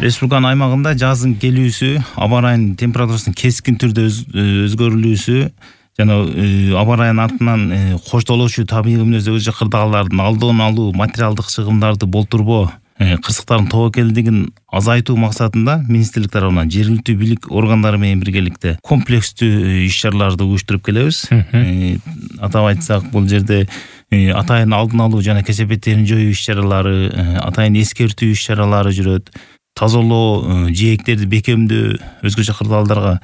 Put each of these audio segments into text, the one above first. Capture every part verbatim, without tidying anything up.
Республиканын аймагында жаздын келүүсү, аба ырайынын температурасынын кескин түрдө өзгөрүлүүсү жана аба ырайынын артынан коштолочу табигый мүнөздөгү өзгөчө кырдаалдардын алдын алуу, материалдык чыгымдарды болтурбоо, кырсыктардын тобокелдигин азайтуу максатында министрлик тарабынан жергиликтүү бийлик органдары менен биргеликте комплекстүү иш-чараларды уюштуруп келебиз. Атап айтсак, бул жерде атайын алдын алуу жана кесепеттерин жоюу иш-чаралары, атайын эскертүү иш-чаралары жүрөт. Тазалоо, жээктерди бекемдөө, өзгөчө кырдаалдарга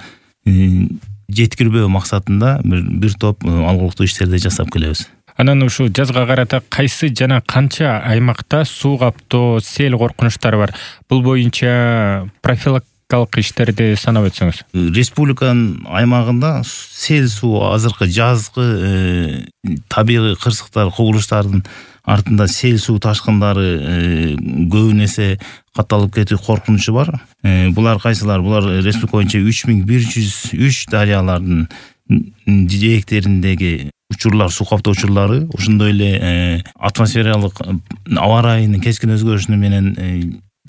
жеткирбөө максатында бир бир топ алгылыктуу иштерди жасап келебиз. Анан ушу жазга карата кайсы жана канча аймакта суу каптоо, сел коркунучтары бар? Бул боюнча профилактикалык иштерди санап өтсөңүз. Республиканын аймагында сел суу азыркы жазгы табигый кырсыктар, кубулуштардын артында сел суу ташкындары көбүн эсе катталып кетүү коркунучу бар. Булар кайсылар? Булар республика боюнча үч миң бир жүз үч дарыялардын жээктериндеги учурлар, суу каптоо учурлары, ошондой эле атмосфералык аба ырайынын кескин өзгөрүшүнү менен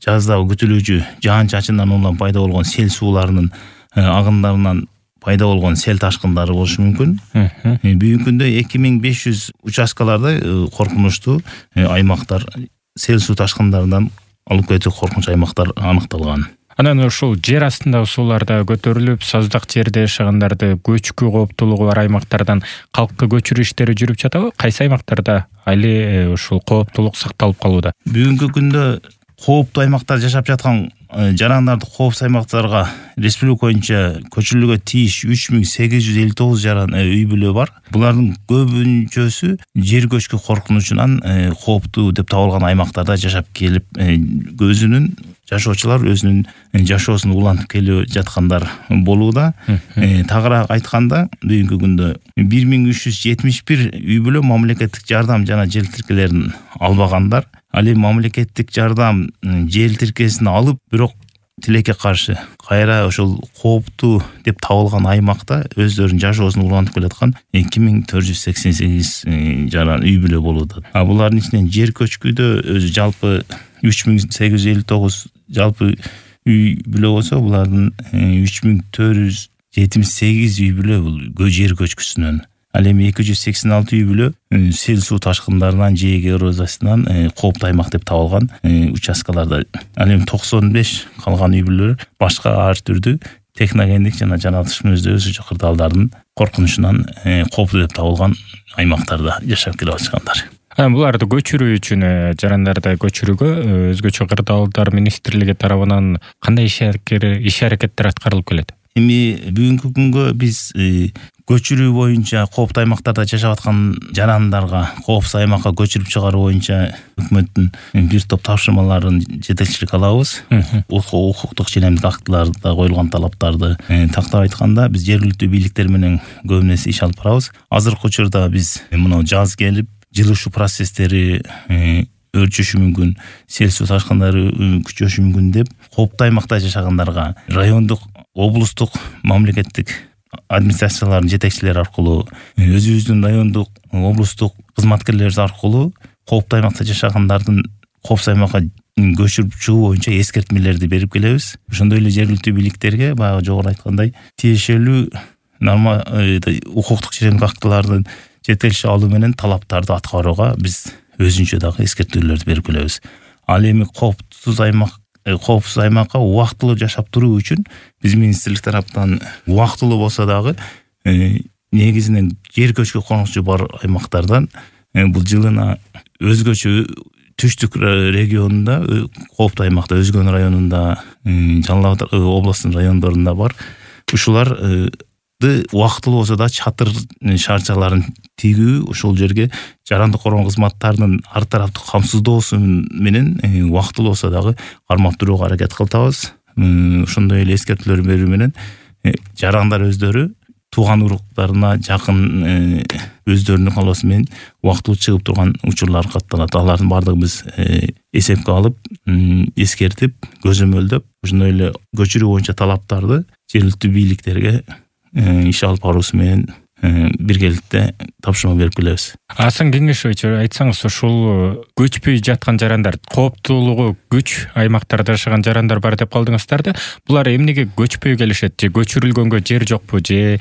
жазда күтүлүүчү жаан-чачындан улам пайда болгон сел сууларынын агындарынан пайда болгон сел ташкындары болушу мүмкүн. Бүгүнкү күндө эки миң беш жүз участкаларда коркунучтуу аймактар, сел суу ташкындарынан алып кетүү коркунуч аймактар аныкталган. Анан ушул жер астындагы сууларда көтөрүлүп, саздак жерде жашагандарды көчкү кооптуулугу бар аймактардан калкка көчүрүү иштери жүрүп жатабы? Кайсы аймактарда али ушул кооптуулук сакталып калууда? Бүгүнкү күндө кооптуу аймактар жашап жаткан жарандарды коопсуз аймактарга республика боюнча көчүрүлүүгө тийиш үч миң сегиз жүз элүү тогуз жаран үй бүлө бар. Булардын көбүнчөсү жер көчкү коркунучунан кооптуу деп табылган аймактарда жашап келип, өзүнүн жашоочулар өзүнүн жашоосун улантып келип жаткандар болууда. Тагыраак айтканда, бүгүнкү күндө бир миң үч жүз жетимиш бир үй бүлө мамлекеттик жардам жана жер тиркелерин албагандар. Ал эми мамлекеттик жардам жер тиркесин алып, бирок тилекке каршы кайра ошол кооптуу деп табылган аймакта өздөрүнүн жашоосун улантып келаткан эки миң төрт жүз сексен сегиз жаран үй бүлө болууда. А булардын ичинен жер көчкүдө өзү жалпы үч миң сегиз жүз элүү тогуз жалпы үй бүлө болсо, булардын үч миң төрт жүз жетимиш сегиз үй бүлө бул жер көчкүсүнөн. Ал эми эки жүз сексен алты үй бүлө сел суу ташкындарынан, жээк эрозиясынан кооптуу аймак деп табылган участкаларда. Ал эми токсон беш калган үй бүлөлөр башка ар түрдүү техногендик жана жаратылыш мүнөздөгү өзгөчө кырдаалдардын коркунучунан кооптуу деп табылган аймактарда жашап келип жаткандар. Буларды көчүрүү үчүн, жарандарды көчүрүүгө өзгөчө кырдаалдар министрлиги тарабынан кандай иш аракеттер аткарылып келет? Эми бүгүнкү күнгө биз көчүрүү боюнча кооптуу аймактарда жашап аткан жарандарга коопсуз аймакка көчүрүп чыгаруу боюнча өкмөттүн бир топ тапшырмаларын жетекчилик алабыз. Укуктук ченемдик актыларда коюлган талаптарды тактап айтканда, биз жергиликтүү бийликтер менен көбүн эсе иш алып барабыз. Азыркы учурда биз мына жаз келип, жылышуу процесстери өрчүшү мүмкүн, сел суу ташкындары күчөшү мүмкүн деп кооптуу аймакта жашагандарга райондук, облустук, мамлекеттик администрациялардын жетекчилери аркылуу, өзүбүздүн райондук, облустук кызматкерлерибиз аркылуу кооптуу аймакта жашагандардын коопсуз аймакка көчүрүп чыгуу боюнча эскертмелерди берип келебиз. Ошондой эле жергиликтүү бийликтерге баягы жогору айткандай тиешелүү норма укуктук ченемдик актылардын жетекчилик алуу менен талаптарды аткарууга биз өзүнчө дагы эскертүүлөрдү берип келебиз. Ал эми коопсуз аймак коопсуз аймакка убактылуу жашап туруу үчүн биз министрлик тараптан убактылуу болсо дагы негизинен жер көчкү коркунучу бар аймактардан бул жылына өзгөчө түштүк регионунда, кооптуу аймакта, Өзгөн районунда, Жалал Абад областынын райондорунда бар. Ушуларды убактылуу болсо да чатыр шарчаларын тигүү, ошол жерге жарандык коргоо кызматтарынын ар тараптык камсыздоосу менен убактылуу болсо дагы кармап турууга аракет кылабыз. Ошондой эле эскертүүлөр берүү менен жарандар өздөрү тууган уруктарына жакын өздөрүнүн каалоосу менен убактылуу чыгып турган учурлар катталат. Алардын баардыгын биз эсепке алып, эскертип, көзөмөлдөп, ошондой эле көчүрүү боюнча талаптарды жергиликтүү бийликтерге иш алып баруусу менен биргеликте тапшырма берип келебиз. Асан Кеңешович, айтсаңыз, ушул көчпөй жаткан жарандар, кооптуулугу күч аймактарда жашаган жарандар бар деп калдыңыздар да, булар эмнеге көчпөй келишет? Же көчүрүлгөнгө жер жокпу, же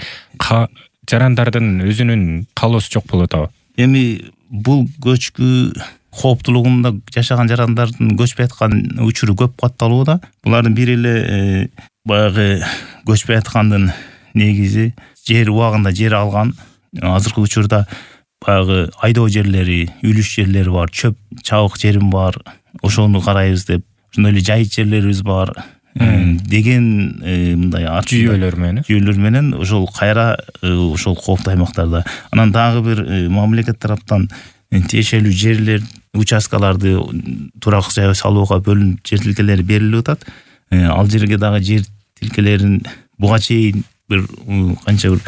жарандардын өзүнүн каалоосу жок болуп атабы? Эми бул көчкү кооптуулугунда жашаган жарандардын көчпөй аткан учуру көп катталууда. Булардын бири эле баягы көчпөй аткандын негизи жер убагында жер алган. Азыркы учурда баягы айдоо жерлери, үлүш жерлери бар, чөп чабык жерим бар. Ошону карайбыз деп, ошондой эле жайыт жерлерибиз бар деген мындай жүйөлөр менен жүйөлөр менен ошол кайра ошол кооптуу аймактарда. Анан дагы бир мамлекет тараптан тиешелүү жерлер, участкаларды турак жай салууга бөлүнүп жер тилкелери берилип атат. Ал жерге дагы жер тилкелерин буга чейин бир канча бир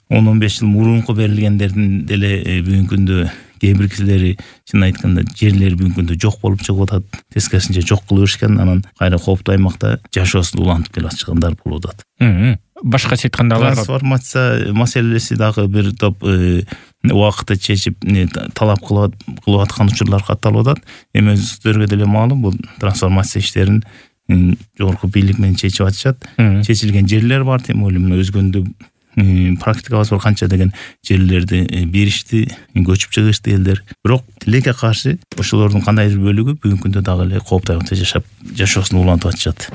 он он беш жыл мурунку берилгендердин деле бүгүнкү күндө кээ бир кисилери чын айтканда жерлери бүгүнкү күндө жок болуп чыгып атат. Тескерисинче жок кылып беришкен, анан кайра кооптуу аймакта жашоосун улантып келе жаткандар болуп атат. Башкача айтканда аларга трансформация маселеси дагы бир топ убакытты чечип талап кылып аткан учурлар катталып атат. Эми өзүңүзгө деле маалым, бул трансформация иштерин жогорку бийлик менен чечип атышат. Чечилген жерлер бар, тем более мына өзгөндө практикабыз бар, канча деген жерлерди беришти, көчүп чыгышты элдер. Бирок тилекке каршы ошолордун кандайдыр бөлүгү бүгүнкү күндө дагы эле кооптуу аймакта жашап, жашоосун улантып атышат.